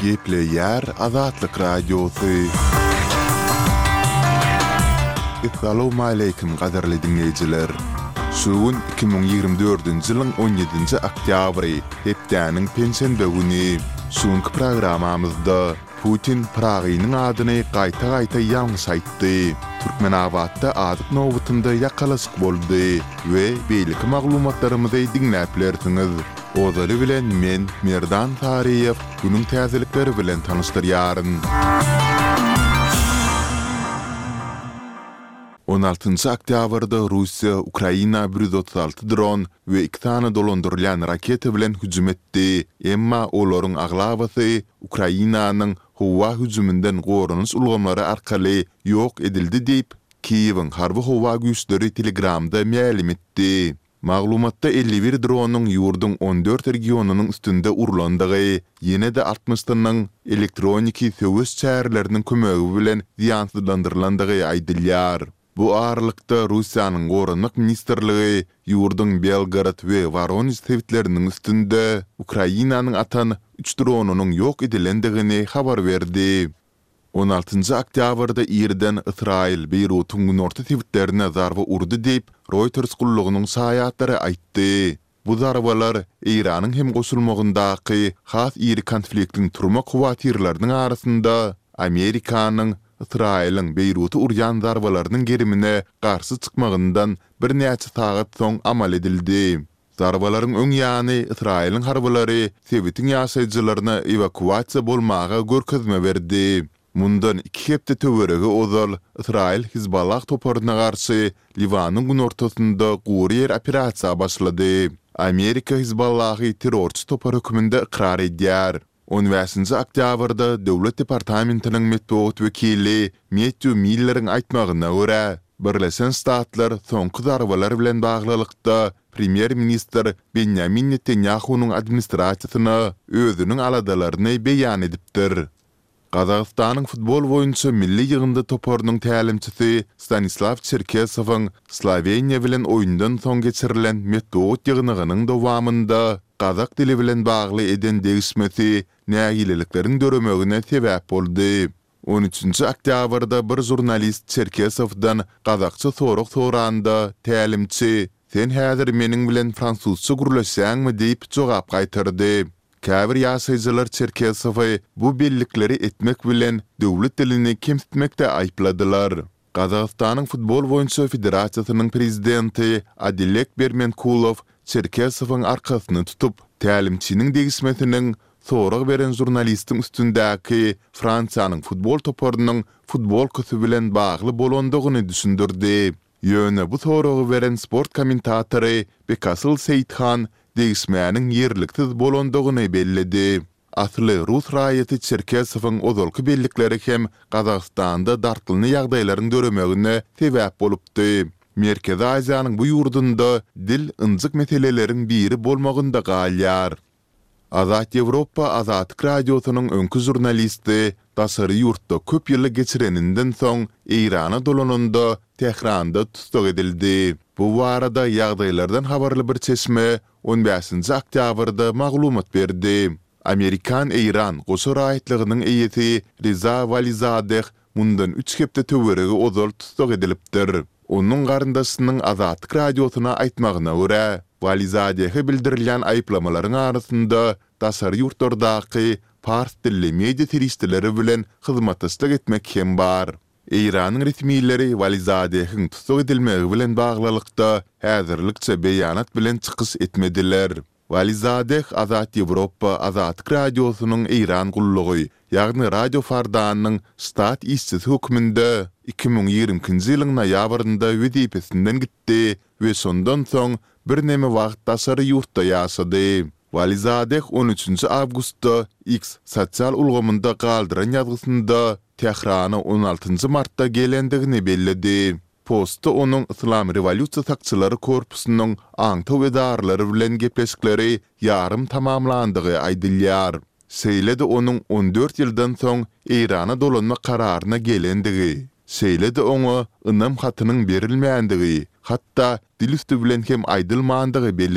Gepleýär Azatlyk Radiosy. Essalawmaleýkim gadyrly diňleýjiler! Şu gün 2024-nji ýylyň on ýedinji oktýabry, hepdäniň penşenbe güni. Şu günki programmamyzda Putin Pyragynyň adyny gaýta-gaýta ýalňyş aýtdy. Türkmenabatda azyk nobatynda ýakalaşyk boldy we beýleki maglumatlarymyzy diňläp bilersiňiz. Ozaly bilen men, Merdan Saryýew, günüň täzelikleri bilen tanyşdyrýaryn. On altynjy oktýabrda Russiýa Ukraina 136 dron we iki sany dolandyrylýan raketa bilen hüjüm etdi, emma olaryň aglabasy Ukrainanyň howa hüjüminden goranyş ulgamlary arkaly ýok edildi diýip, Kiýewiň harby-howa güýçleri Telegramda mälim etdi. Maglumatda 51 dronyň ýurduň 14 regionynyň üstünde urlandygy, ýene-de altmyşsynyň elektroniki söweş çäreleriniň kömegi bilen zyýansyzlandyrylandygy aýdylýar. Bu aralykda, Russiýanyň Goranmak ministrligi ýurduň Belgorod we Woronež sebitleriniň üstünde Ukrainanyň atan üç dronynyň ýok edilendigini habar berdi. On altynjy oktýabrda irden Ysraýyl Beýrutyň günorta sebitlerine zarba urdy diýip, Reuters gullugynyň şaýatlary aýtdy. Bu zarbalar Eýranyň hem goşulmagyndaky has iri konfliktiň turmak howatyrlarynyň arasynda Amerikanyň Ysraýylyň Beýruta urýan zarbalarynyň gerimine garşy çykmagyndan birnäçe sagat soň amal edildi. Zarbalaryň öň ýany Ysraýylyň harbylary sebitiň ýaşaýjylaryna ewakuasiýa bolmaga görkezme berdi. Mundan iki hepde töweregi ozal Ysraýyl Hizballah toparyna garşy Liwanyň günortasynda gury ýer operasiýa başlady. Amerika Hizballahy terrorçy topar hökmünde ykrar edýär. On bäşinji oktýabrda Döwlet departamentiniň metbugat wekili Mettýu Milleriň aýtmagyna görä, Birleşen Ştatlar soňky zarbalar bilen baglylykda premýer-ministr Benýamin Netanýahunyň administrasiýasyna özüniň aladalaryny beýan edipdir. Gazagystanyň futbol boýunça milli ýygyndy toparynyň tälimçisi Stanislaw Çerkesowyň Sloweniýa bilen oýundan soň geçirilen metbugat ýygnagynyň dowamynda gazak dili bilen bagly eden degişmesi nägilelikleriň döremegine sebäp boldy. On üçünji oktýabrda bir žurnalist Çerkesowdan gazakça sorag soranda, tälimçi, Sen häzir meniň bilen fransuzça gürleşýäňmi diýip jogap gaýtardy. Käbir ýaşaýjylar Çerkesowy bu bellikleri etmek bilen döwlet dilini kemsitmekde aýypladylar. Gazagystanyň futbol boýunça federasiýasynyň prezidenti Adilek Bermenkulow Çerkesowyň arkasyny tutup, tälimçiniň degişmesiniň sorag beren žurnalistiň üstündäki Fransiýanyň futbol toparynyň futbolkasy bilen bagly bolandygyny düşündirdi. Ýöne bu soragy beren sport kommentatory Bekasyl Seýithan degişmäniň ýerliksiz bolandygyny belledi. Asly rus raýaty Çerkesowyň ozalky bellikleri hem Gazagystanda dartgynly ýagdaýlaryň döremegine sebäp bolupdy. Merkezi Aziýanyň bu ýurdunda dil ynjyk meseleleriň biri bolmagynda galýar. Azat Ýewropa Azatlyk Radiosynyň öňki žurnalisti daşary ýurtda köp ýyly geçireninden soň Eýrana dolananda Tähranda tussag edildi. Bu barada ýagdaýlardan habarly bir çeşme on bäşinji oktýabrda maglumat berdi. Amerikan-eýran goşa raýatlygynyň eýesi Reza Walizadeh mundan üç hepde töweregi ozal tussag edilipdir. Onuň garyndaşynyň Azatlyk Radiosyna aýtmagyna görä, Walizadehe bildirilýän aýyplamalaryň arasynda daşary ýurtlardaky pars dilli media serişdeleri bilen hyzmatdaşlyk etmek hem bar. Eýranyň resmileri Walizadehiň tussag edilmegi bilen baglylykda häzirlikçe beýanat bilen çykyş etmediler. Walizadeh Azat Ýewropa Azatlyk Radiosynyň Eýran gullugy, ýagny Radio Fardanyň ştat işçisi hökmünde 2022-nji ýylyň noýabrynda wezipesinden gitdi we şondan soň birneme wagt daşary ýurtda ýaşady. Walizadeh on üçünji awgustda X sosial ulgamynda galdyran ýazgysynda Tährana on altynjy martda gelendigini belledi. Postda onuň Yslam rewolýusiýa sakçylary korpusynyň aňtaw edaralary bilen gepleşikleri ýarym tamamlandygy aýdylýar. Şeýle-de onuň 14 ýyldan soň Eýrana dolanmak kararyna gelendigi, şeýle-de oňa ynam hatynyň berilmändigi, hatda dil üsti bilen hem aýdylmandygy bellenilýär.